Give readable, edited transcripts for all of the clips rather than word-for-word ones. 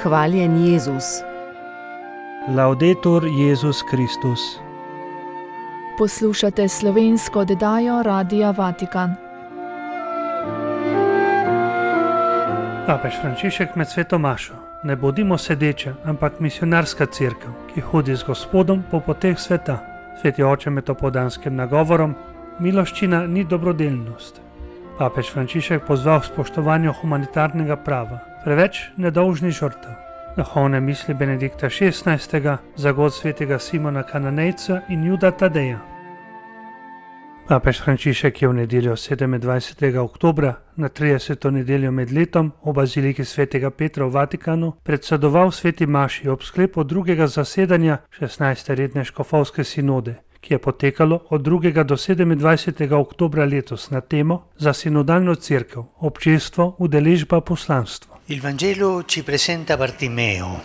Hvaljen Jezus. Laudetur Jezus Kristus. Poslušate slovensko oddajo Radia Vatikan. Papež Frančišek med sveto mašo: ne bodimo sedeča, ampak misionarska cerkev, ki hodi z Gospodom po poteh sveta. Sveti oče med opoldanskim nagovorom: miloščina ni dobrodelnost. Papež Frančišek pozval k spoštovanju humanitarnega prava, preveč nedolžnih žrtev. Duhovne misli Benedikta XVI, zagod svetega Simona Kananejca in Juda Tadeja. Papež Frančišek je v nedeljo 27. oktobra, na 30. nedeljo med letom, v baziliki svetega Petra v Vatikanu predsedoval sveti maši ob sklepu drugega zasedanja 16. redne škofovske sinode, ki je potekalo od 2. do 27. oktobra letos na temo za sinodalno cerkev, občestvo, udeležba, poslanstvo. Il Vangelo ci presenta Bartimeo,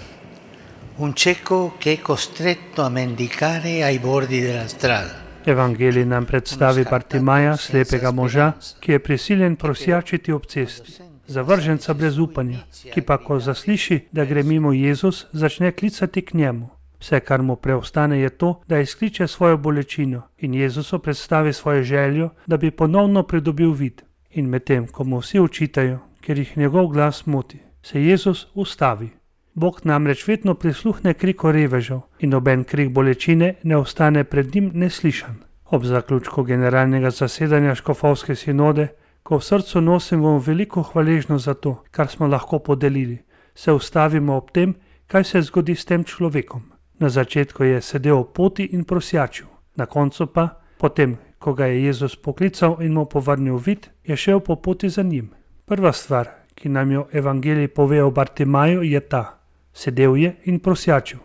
un cieco che è costretto a mendicare ai bordi della strada. Evangelij nam predstavi Bartimaja, slepega moža, ki je prisiljen prosjačiti ob cesti, zavrženca brez upanja, ki pa, ko zasliši, da gre mimo Jezus, začne klicati k njemu. Vse, kar mu preostane, je to, da izkliče svojo bolečino in Jezusu predstavi svojo željo, da bi ponovno pridobil vid. In medtem, ko mu vsi očitajo, ker jih njegov glas moti, se Jezus ustavi. Bog namreč vedno prisluhne kriku revežev in noben krik bolečine ne ostane pred njim neslišan. Ob zaključku generalnega zasedanja škofovske sinode, ko v srcu nosimo veliko hvaležnost za to, kar smo lahko podelili, se ustavimo ob tem, kaj se zgodi s tem človekom. Na začetku je sedel ob poti in prosjačil, na koncu pa, potem, ko ga je Jezus poklical in mu povrnil vid, je šel po poti za njim. Prva stvar, ki nam jo Evangelij pove o Bartimaju, je ta: sedel je in prosjačil.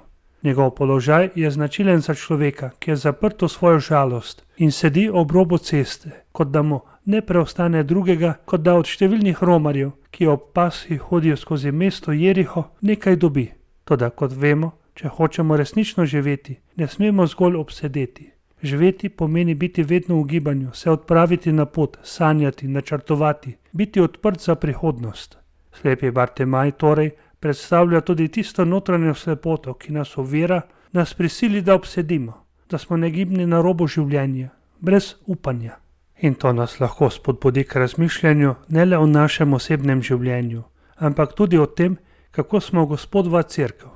Njegov položaj je značilen za človeka, ki je zaprt v svojo žalost in sedi ob robu ceste, kot da mu ne preostane drugega, kot da od številnih romarjev, ki ob pasji hodijo skozi mesto Jeriho, nekaj dobi. Toda, kot vemo, če hočemo resnično živeti, ne smemo zgolj obsedeti. Živeti pomeni biti vedno v gibanju, se odpraviti na pot, sanjati, načrtovati, biti odprt za prihodnost. Slepi Bartimaj torej predstavlja tudi tisto notranjo slepoto, ki nas ovira, nas prisili, da obsedimo, da smo negibni na robu življenja, brez upanja. In to nas lahko spodbudi k razmišljanju ne le o našem osebnem življenju, ampak tudi o tem, kako smo Gospodova cerkev.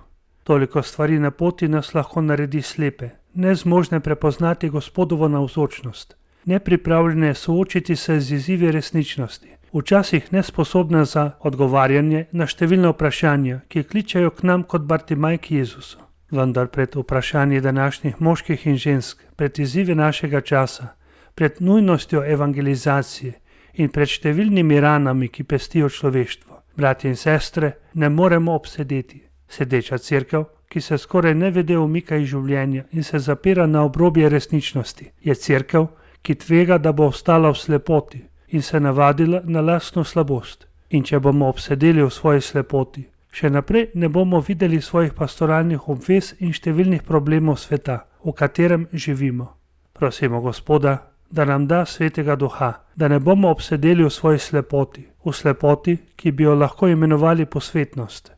Toliko stvari na poti nas lahko naredi slepe, nezmožne prepoznati Gospodovo navzočnost, nepripravljene soočiti se z izzivi resničnosti, včasih nesposobna za odgovarjanje na številna vprašanja, ki kličejo k nam kot Bartimaj k Jezusu. Vendar pred vprašanji današnjih moških in žensk, pred izzivi našega časa, pred nujnostjo evangelizacije in pred številnimi ranami, ki pestijo človeštvo, bratje in sestre, ne moremo obsedeti. Sedeča cerkev, ki se skoraj nevede umika iz življenja in se zapira na obrobje resničnosti, je cerkev, ki tvega, da bo ostala v slepoti in se navadila na lastno slabost. In če bomo obsedeli v svoji slepoti, še naprej ne bomo videli svojih pastoralnih obvez in številnih problemov sveta, v katerem živimo. Prosimo Gospoda, da nam da svetega duha, da ne bomo obsedeli v svoji slepoti, ki bi jo lahko imenovali posvetnost,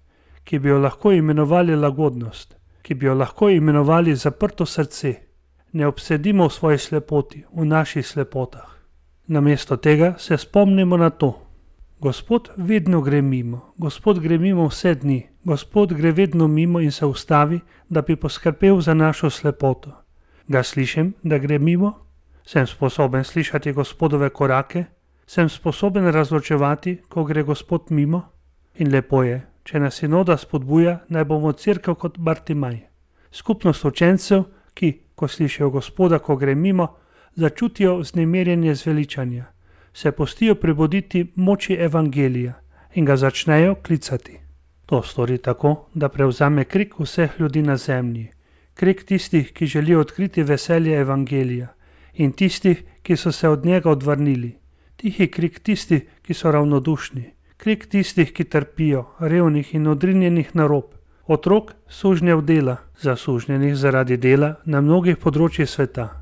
ki bi jo lahko imenovali lagodnost, ki bi jo lahko imenovali zaprto srce. Ne obsedimo v svoji slepoti, v naših slepotah. Namesto tega se spomnimo na to: Gospod vedno gre mimo, Gospod gre mimo vse dni, Gospod gre vedno mimo in se ustavi, da bi poskrbel za našo slepoto. Ga slišim, da gre mimo? Sem sposoben slišati Gospodove korake? Sem sposoben razločevati, ko gre Gospod mimo? In lepo je, če nas sinoda spodbuja, naj bomo cerkev kot Bartimaj. Skupnost učencev, ki, ko slišijo Gospoda, ko gre mimo, začutijo vznemirjenje zveličanja, se pustijo prebuditi moči Evangelija in ga začnejo klicati. To stori tako, da prevzame krik vseh ljudi na zemlji, krik tistih, ki želijo odkriti veselje Evangelija, in tistih, ki so se od njega odvrnili, tihi krik tistih, ki so ravnodušni, krik tistih, ki trpijo, revnih in odrinjenih na rob, otrok sužnjev dela, zasužnjenih zaradi dela na mnogih področjih sveta.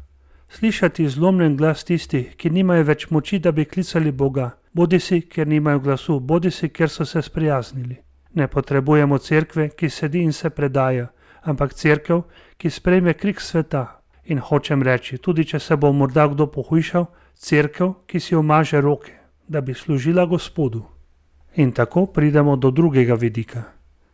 Slišati zlomljen glas tistih, ki nimajo več moči, da bi klicali Boga, bodisi ker nimajo glasu, bodisi ker so se sprijaznili. Ne potrebujemo cerkve, ki sedi in se predaja, ampak cerkev, ki sprejme krik sveta. In hočem reči, tudi če se bo morda kdo pohujšal, cerkev, ki si omaže roke, da bi služila Gospodu. In tako pridemo do drugega vidika.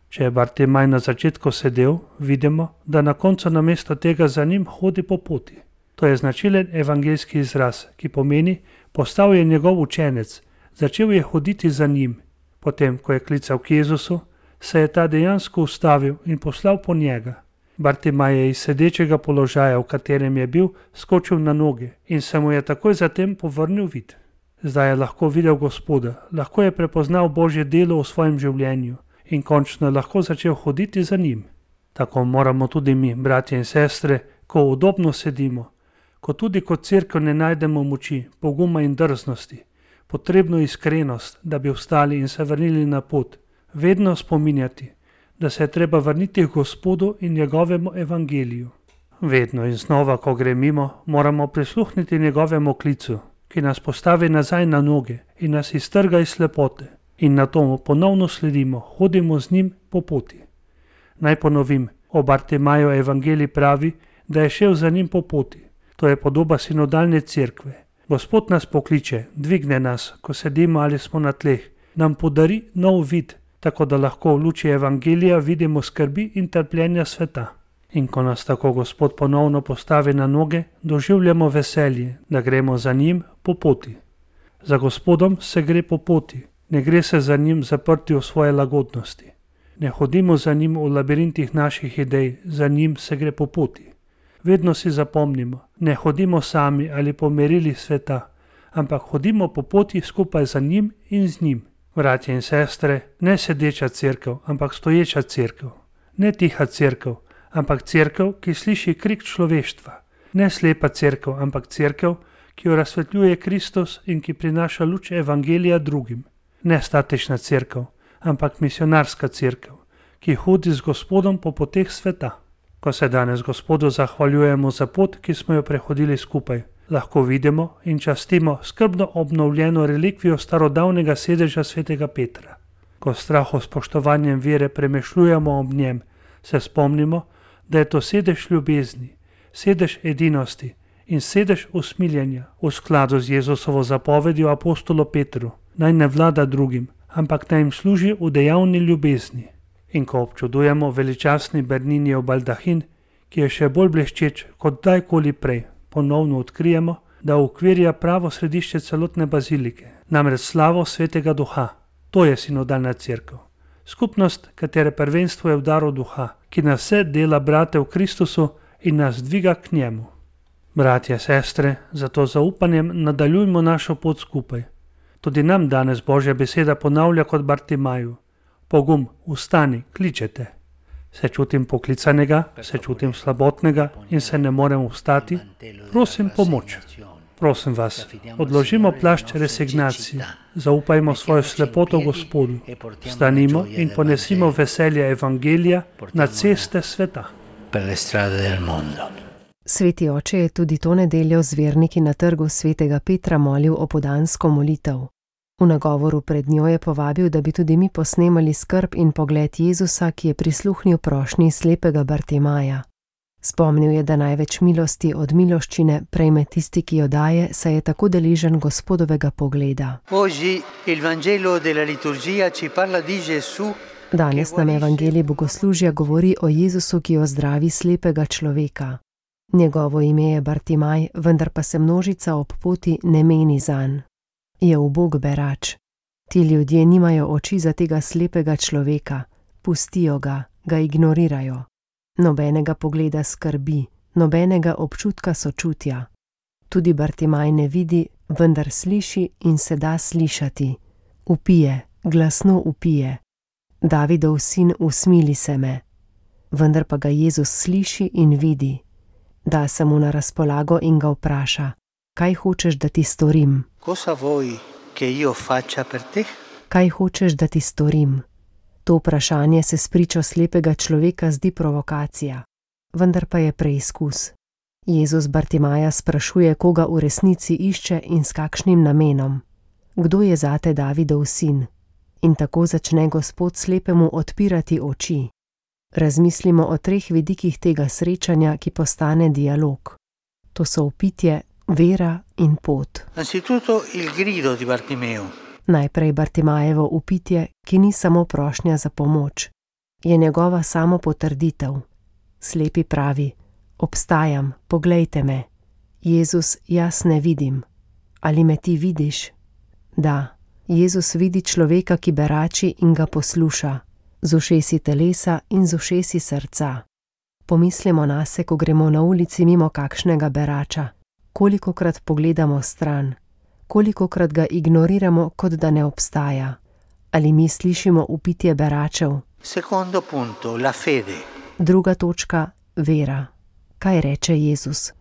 Če je Bartimaj na začetku sedel, vidimo, da na koncu namesto tega za njim hodi po poti. To je značilen evangeljski izraz, ki pomeni, postal je njegov učenec, začel je hoditi za njim. Potem, ko je klical k Jezusu, se je ta dejansko ustavil in poslal po njega. Bartimaj je iz sedečega položaja, v katerem je bil, skočil na noge in se mu je takoj zatem povrnil vid. Zdaj je lahko videl Gospoda, lahko je prepoznal Božje delo v svojem življenju in končno je lahko začel hoditi za njim. Tako moramo tudi mi, bratje in sestre, ko udobno sedimo, ko tudi kot cerkev ne najdemo moči, poguma in drznosti, potrebno iskrenost, da bi vstali in se vrnili na pot, vedno spominjati, da se je treba vrniti k Gospodu in njegovemu evangeliju. Vedno in znova, ko gre mimo, moramo prisluhniti njegovemu klicu, ki nas postavi nazaj na noge in nas iztrga iz slepote. In na to mu ponovno sledimo, hodimo z njim po poti. Naj ponovim, o Bartimaju evangelij pravi, da je šel za njim po poti. To je podoba sinodalne cerkve. Gospod nas pokliče, dvigne nas, ko sedimo ali smo na tleh, nam podari nov vid, tako da lahko v luči evangelija vidimo skrbi in trpljenja sveta. In ko nas tako Gospod ponovno postavi na noge, doživljamo veselje, da gremo za njim po poti. Za Gospodom se gre po poti, ne gre se za njim zaprti v svoje lagodnosti. Ne hodimo za njim v labirintih naših idej, za njim se gre po poti. Vedno si zapomnimo, ne hodimo sami ali po merilih sveta, ampak hodimo po poti skupaj za njim in z njim. Bratje in sestre, ne sedeča cerkev, ampak stoječa cerkev. Ne tiha cerkev, ampak cerkev, ki sliši krik človeštva. Ne slepa cerkev, ampak cerkev, ki jo razsvetljuje Kristus in ki prinaša luč evangelija drugim. Ne statična cerkev, ampak misionarska cerkev, ki hodi z Gospodom po poteh sveta. Ko se danes Gospodu zahvaljujemo za pot, ki smo jo prehodili skupaj, lahko vidimo in častimo skrbno obnovljeno relikvijo starodavnega sedeža svetega Petra. Ko straho spoštovanjem vere premešljujemo ob njem, se spomnimo, da je to sedež ljubezni, sedež edinosti in sedež usmiljenja v skladu z Jezusovo zapovedjo apostolu Petru, naj ne vlada drugim, ampak naj jim služi v dejavni ljubezni. In ko občudujemo veličastni Berninijev baldahin, ki je še bolj bleščeč kot dajkoli prej, ponovno odkrijemo, da ukvirja pravo središče celotne bazilike, namreč slavo svetega duha. To je sinodalna cerkev. Skupnost, katere prvenstvo je v daru duha, ki nas vse dela brate v Kristusu in nas dviga k njemu. Bratje, sestre, zato zaupanjem nadaljujmo našo pot skupaj. Tudi nam danes Božja beseda ponavlja kot Bartimaju. Pogum, vstani, kličete. Se čutim poklicanega, se čutim slabotnega in se ne morem vstati. Prosim pomoč. Prosim vas, odložimo plašč resignacije, zaupajmo svojo slepoto Gospodu, vstanimo in ponesimo veselje evangelija na ceste sveta. Sveti oče je tudi to nedeljo z verniki na trgu svetega Petra molil opoldansko molitev. V nagovoru pred njo je povabil, da bi tudi mi posnemali skrb in pogled Jezusa, ki je prisluhnil prošnji slepega Bartimaja. Spomnil je, da največ milosti od miloščine prejme tisti, ki jo daje, saj je tako deležen Gospodovega pogleda. Danes nam evangelij bogoslužja govori o Jezusu, ki ozdravi slepega človeka. Njegovo ime je Bartimaj, vendar pa se množica ob poti ne meni zanj. Je ubog berač. Ti ljudje nimajo oči za tega slepega človeka, pustijo ga, ga ignorirajo. Nobenega pogleda skrbi, nobenega občutka sočutja. Tudi Bartimaj ne vidi, vendar sliši in se da slišati. Vpije, glasno vpije. Davidov sin, usmili se me. Vendar pa ga Jezus sliši in vidi. Da se mu na razpolago in ga vpraša, kaj hočeš, da ti storim? Kaj hočeš, da ti storim? To vprašanje se spričo slepega človeka zdi provokacija, vendar pa je preizkus. Jezus Bartimaja sprašuje, koga v resnici išče in s kakšnim namenom. Kdo je zate Davidov sin? In tako začne Gospod slepemu odpirati oči. Razmislimo o 3 vidikih tega srečanja, ki postane dialog. To so vpitje, vera in pot. Anzitutto il grido di Bartimeo. Najprej Bartimajevo vpitje, ki ni samo prošnja za pomoč, je njegova samopotrditev. Slepi pravi: obstajam, poglejte me. Jezus, jaz ne vidim. Ali me ti vidiš? Da, Jezus vidi človeka, ki berači in ga posluša, z ušesi telesa in z ušesi srca. Pomislimo nase, ko gremo na ulici mimo kakšnega berača. Kolikokrat pogledamo stran, kolikokrat ga ignoriramo, kot da ne obstaja. Ali mi slišimo vpitje beračev? Secondo punto, la fede. Druga točka, vera. Kaj reče Jezus?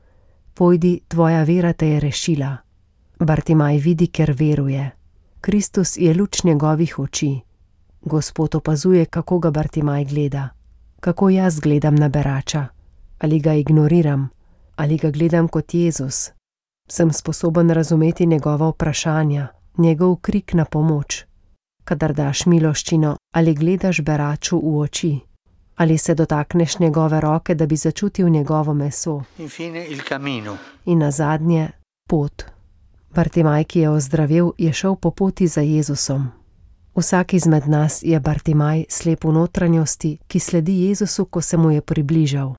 Pojdi, tvoja vera te je rešila. Bartimaj vidi, ker veruje. Kristus je luč njegovih oči. Gospod opazuje, kako ga Bartimaj gleda. Kako jaz gledam na berača? Ali ga ignoriram? Ali ga gledam kot Jezus? Sem sposoben razumeti njegova vprašanja, njegov krik na pomoč. Kadar daš miloščino, ali gledaš beraču v oči? Ali se dotakneš njegove roke, da bi začutil njegovo meso? Infine il cammino. In nazadnje, pot. Bartimaj, ki je ozdravel, je šel po poti za Jezusom. Vsak izmed nas je Bartimaj, slep v notranjosti, ki sledi Jezusu, ko se mu je približal.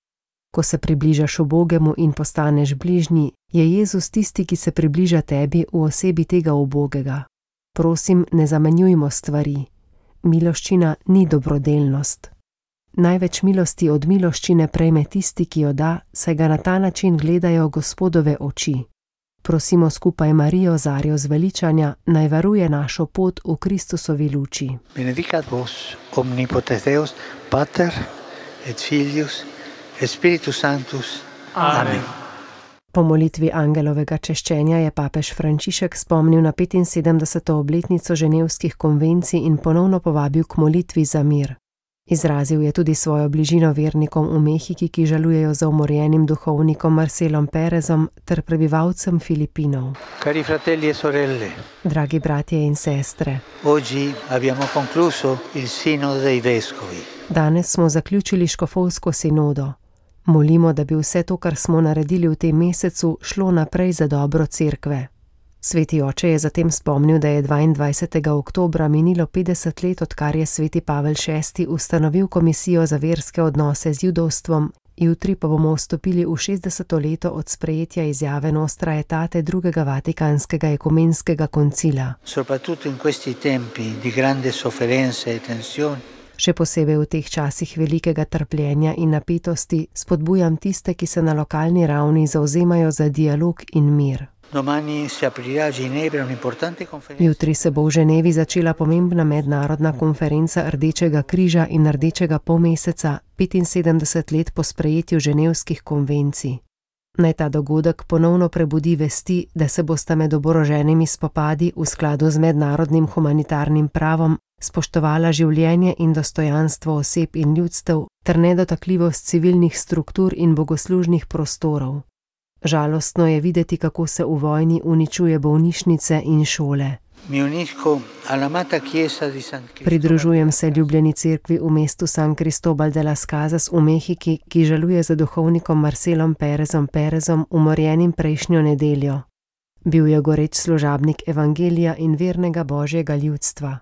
Ko se približaš ubogemu in postaneš bližnji, je Jezus tisti, ki se približa tebi v osebi tega ubogega. Prosim, ne zamenjujmo stvari. Miloščina ni dobrodelnost. Največ milosti od miloščine prejme tisti, ki jo da, saj ga na ta način gledajo Gospodove oči. Prosimo skupaj Marijo, Zarjo zveličanja, naj varuje našo pot v Kristusovi luči. Benedicat vos omnipotens Deus, Pater et Filius et Spiritus Sanctus. Amen. Po molitvi angelovega češčenja je papež Frančišek spomnil na 75. obletnico ženevskih konvencij in ponovno povabil k molitvi za mir. Izrazil je tudi svojo bližino vernikom v Mehiki, ki žalujejo za umorjenim duhovnikom Marcelom Perezom ter prebivalcem Filipinov. Cari fratelli e sorelle, Dragi bratje in sestre, oggi abbiamo concluso il Sinodo dei Vescovi. danes smo zaključili škofovsko sinodo. Molimo, da bi vse to, kar smo naredili v tem mesecu, šlo naprej za dobro cerkve. Sveti oče je zatem spomnil, da je 22. oktobra minilo 50 let, odkar je sveti Pavel VI ustanovil komisijo za verske odnose z judovstvom, jutri pa bomo vstopili v 60. leto od sprejetja izjave Nostra Aetate drugega Vatikanskega ekumenskega koncila. Soprattutto in questi tempi di grande sofferenza e tensione, Še posebej v teh časih velikega trpljenja in napetosti spodbujam tiste, ki se na lokalni ravni zavzemajo za dialog in mir. domani si aprirà a Ginevra un'importante conferenza. Jutri se bo v Ženevi začela pomembna mednarodna konferenca Rdečega križa in Rdečega polmeseca 75 let po sprejetju ženevskih konvencij. Naj ta dogodek ponovno prebudi vesti, da se bosta med oboroženimi spopadi v skladu z mednarodnim humanitarnim pravom spoštovala življenje in dostojanstvo oseb in ljudstev ter nedotakljivost civilnih struktur in bogoslužnih prostorov. Žalostno je videti, kako se v vojni uničuje bolnišnice in šole. Mi unisco all'amata chiesa di San Cristobal. Pridružujem se ljubljeni cerkvi v mestu San Cristobal de las Casas v Mehiki, ki žaluje za duhovnikom Marcelom Perezom, umorjenim prejšnjo nedeljo. Bil je goreč služabnik evangelija in vernega božjega ljudstva.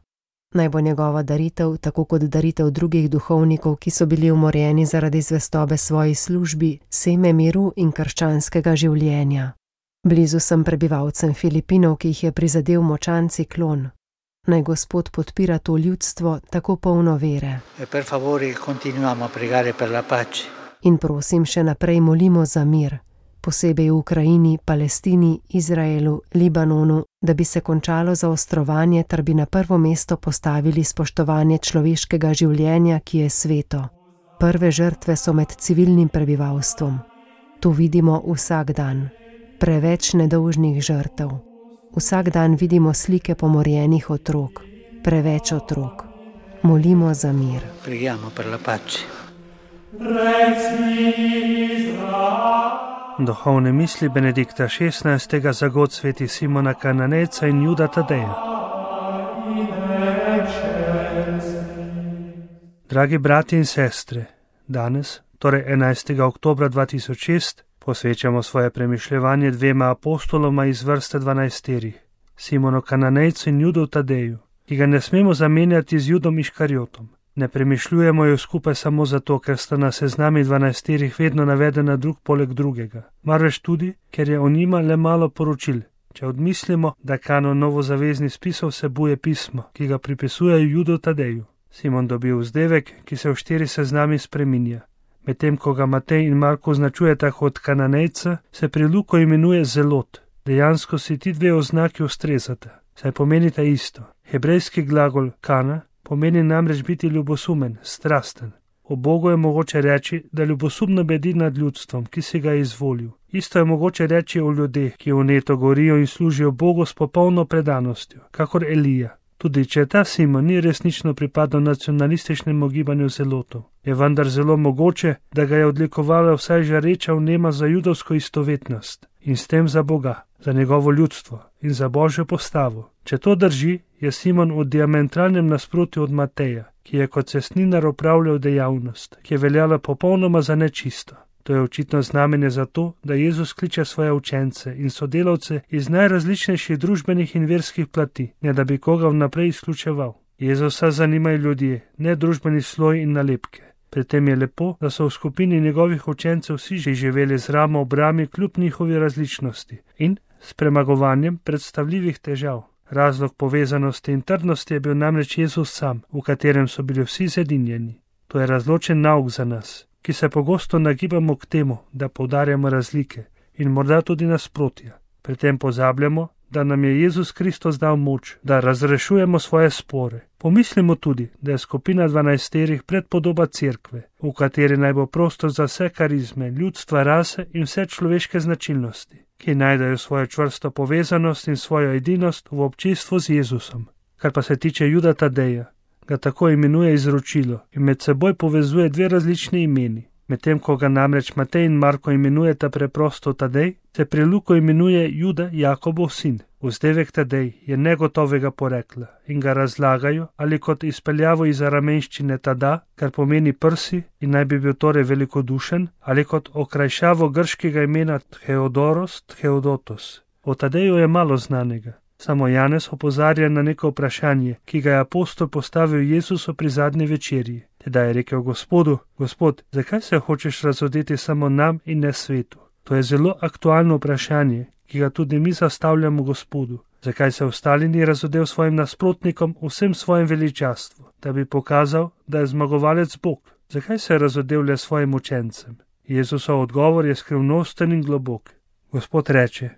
Naj bo njegova daritev, tako kot daritev drugih duhovnikov, ki so bili umorjeni zaradi zvestobe svoji službi, seme miru in krščanskega življenja. Blizu sem prebivalcem Filipinov, ki jih je prizadel močan ciklon. Naj Gospod podpira to ljudstvo, tako polno vere. E per favore continuiamo a pregare per la pace. In prosim, še naprej molimo za mir, posebej v Ukrajini, Palestini, Izraelu, Libanonu, da bi se končalo zaostrovanje ter bi na prvo mesto postavili spoštovanje človeškega življenja, ki je sveto. Prve žrtve so med civilnim prebivalstvom. To vidimo vsak dan. Preveč nedolžnih žrtev. Vsak dan vidimo slike pomorjenih otrok. Preveč otrok. Molimo za mir. Preghiamo per la pace. Duhovne misli Benedikta XVI. Za god sveti Simona Kananejca in Juda Tadeja. Dragi brati in sestre, danes, torej 11. oktobra 2006, posvečamo svoje premišljevanje dvema apostoloma iz vrste 12, Simonu Kananejcu in Judu Tadeju, ki ga ne smemo zamenjati z Judom Iškarjotom. Ne premišljujemo jo skupaj samo zato, ker sta na seznami 12 vedno navedena drug poleg drugega, marveč tudi, ker je o njima le malo poročil. Če odmislimo, da kanon novozaveznih spisov vsebuje pismo, ki ga pripisujejo Judu Tadeju. Simon dobi vzdevek, ki se v 4 seznami spreminja. Medtem ko ga Matej in Marko označujeta kot Kananejca, se pri Luku imenuje Zelot. Dejansko si ti dve oznaki ustrezata, saj pomenita isto. Hebrejski glagol kana pomeni namreč biti ljubosumen, strasten. O Bogu je mogoče reči, da ljubosumno bedi nad ljudstvom, ki si ga je izvolil. Isto je mogoče reči o ljudeh, ki vneto gorijo in služijo Bogu s popolno predanostjo, kakor Elija. Tudi če ta Simon ni resnično pripadal nacionalističnemu gibanju zelotov, je vendar zelo mogoče, da ga je odlikovala vsaj žareča vnema za judovsko istovetnost in s tem za Boga, za njegovo ljudstvo in za Božjo postavo. Če to drži, je Simon v diametralnem nasprotju od Mateja, ki je kot cestninar opravljal dejavnost, ki je veljala popolnoma za nečisto. To je očitno znamenje za to, da Jezus kliče svoje učence in sodelavce iz najrazličnejših družbenih in verskih plati, ne da bi koga vnaprej izključeval. Jezusa zanimajo ljudje, ne družbeni sloj in nalepke. Pri tem je lepo, da so v skupini njegovih učencev vsi že živeli z ramo ob rami kljub njihovi različnosti in s premagovanjem predstavljivih težav. Razlog povezanosti in trdnosti je bil namreč Jezus sam, v katerem so bili vsi zedinjeni. To je razločen nauk za nas, ki se pogosto nagibamo k temu, da poudarjamo razlike in morda tudi nasprotja. Pri tem pozabljamo, da nam je Jezus Kristus dal moč, da razrešujemo svoje spore. Pomislimo tudi, da je skupina 12 predpodoba cerkve, v kateri naj bo prostor za vse karizme, ljudstva, rase in vse človeške značilnosti, ki najdejo svojo čvrsto povezanost in svojo edinost v občestvu z Jezusom. Kar pa se tiče Juda Tadeja, ga tako imenuje izročilo in med seboj povezuje dve različni imeni. Medtem ko ga namreč Matej in Marko imenujeta preprosto Tadej, se pri Luku imenuje Juda Jakobov sin. Vzdevek Tadej je negotovega porekla in ga razlagajo ali kot izpeljavo iz aramenščine tada, kar pomeni prsi in naj bi bil torej velikodušen, ali kot okrajšavo grškega imena Theodoros, Theodotos. O Tadeju je malo znanega. Samo Janez opozarja na neko vprašanje, ki ga je apostol postavil Jezusu pri zadnji večerji. Tedaj je rekel Gospodu: Gospod, zakaj se hočeš razodeti samo nam in ne svetu? To je zelo aktualno vprašanje, ki ga tudi mi zastavljamo Gospodu. Zakaj se ostali ni razodel svojim nasprotnikom vsem svojim veličastvu, da bi pokazal, da je zmagovalec Bog? Zakaj se je razodel le svojim učencem? Jezusov odgovor je skrivnosten in globok. Gospod reče: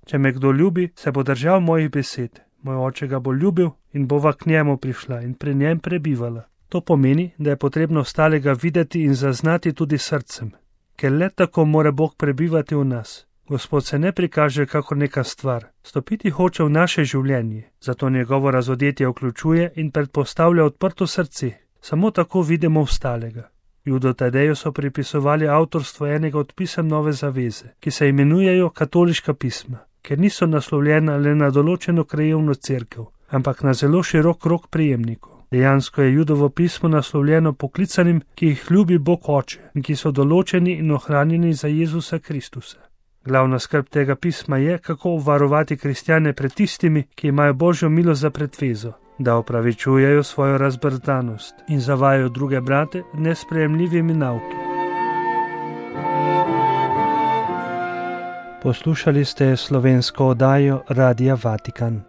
Če me kdo ljubi, se bo držal mojih besed. Moj oče ga bo ljubil in bova k njemu prišla in pri njem prebivala. To pomeni, da je potrebno ostalega videti in zaznati tudi srcem, ker le tako mora Bog prebivati v nas. Gospod se ne prikaže kakor neka stvar, stopiti hoče v naše življenje, zato njegovo razodetje vključuje in predpostavlja odprto srce. Samo tako vidimo ostalega. Judu Tadeju so pripisovali avtorstvo enega od pisem Nove zaveze, ki se imenujejo katoliška pisma, ker niso naslovljena le na določeno krajevno cerkev, ampak na zelo širok krog prejemnikov. Dejansko je Judovo pismo naslovljeno poklicanim, ki jih ljubi Bog Oče in ki so določeni in ohranjeni za Jezusa Kristusa. Glavna skrb tega pisma je, kako obvarovati kristjane pred tistimi, ki imajo Božjo milost za pretvezo, da opravičujejo svojo razbrzdanost in zavajajo druge brate nesprejemljivimi nauki. Poslušali ste slovensko oddajo Radia Vatikan.